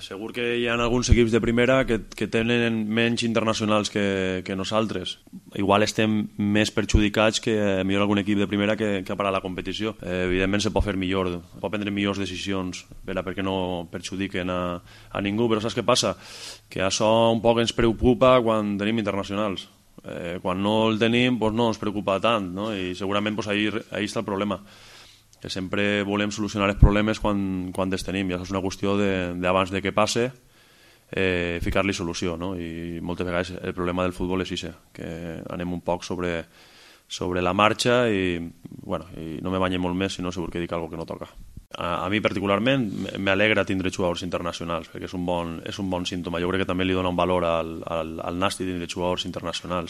Segur que hi ha alguns equips de primera que tenen menys internacionals que nosaltres. Igual estem més perjudicats que millor algun equip de primera que ha parat la competició. Evidentment se pot fer millor, pot prendre millors decisions perquè no perjudiquen a ningú, però saps què passa? Que això un poc ens preocupa quan tenim internacionals. Quan no el tenim no ens preocupa tant, no? I segurament ahí està el problema, que sempre volem solucionar els problemes quan els tenim, i això és una qüestió d'abans de que passe ficar-li solució, no? I moltes vegades el problema del futbol és això, que anem un poc sobre la marxa i no me banye molt més, si no segur que dic alguna que no toca. A mi particularment m'alegra tindre jugadors internacionals, perquè és un bon símptoma. Jo crec que també li dona un valor al Nàstic tindre jugadors internacionals.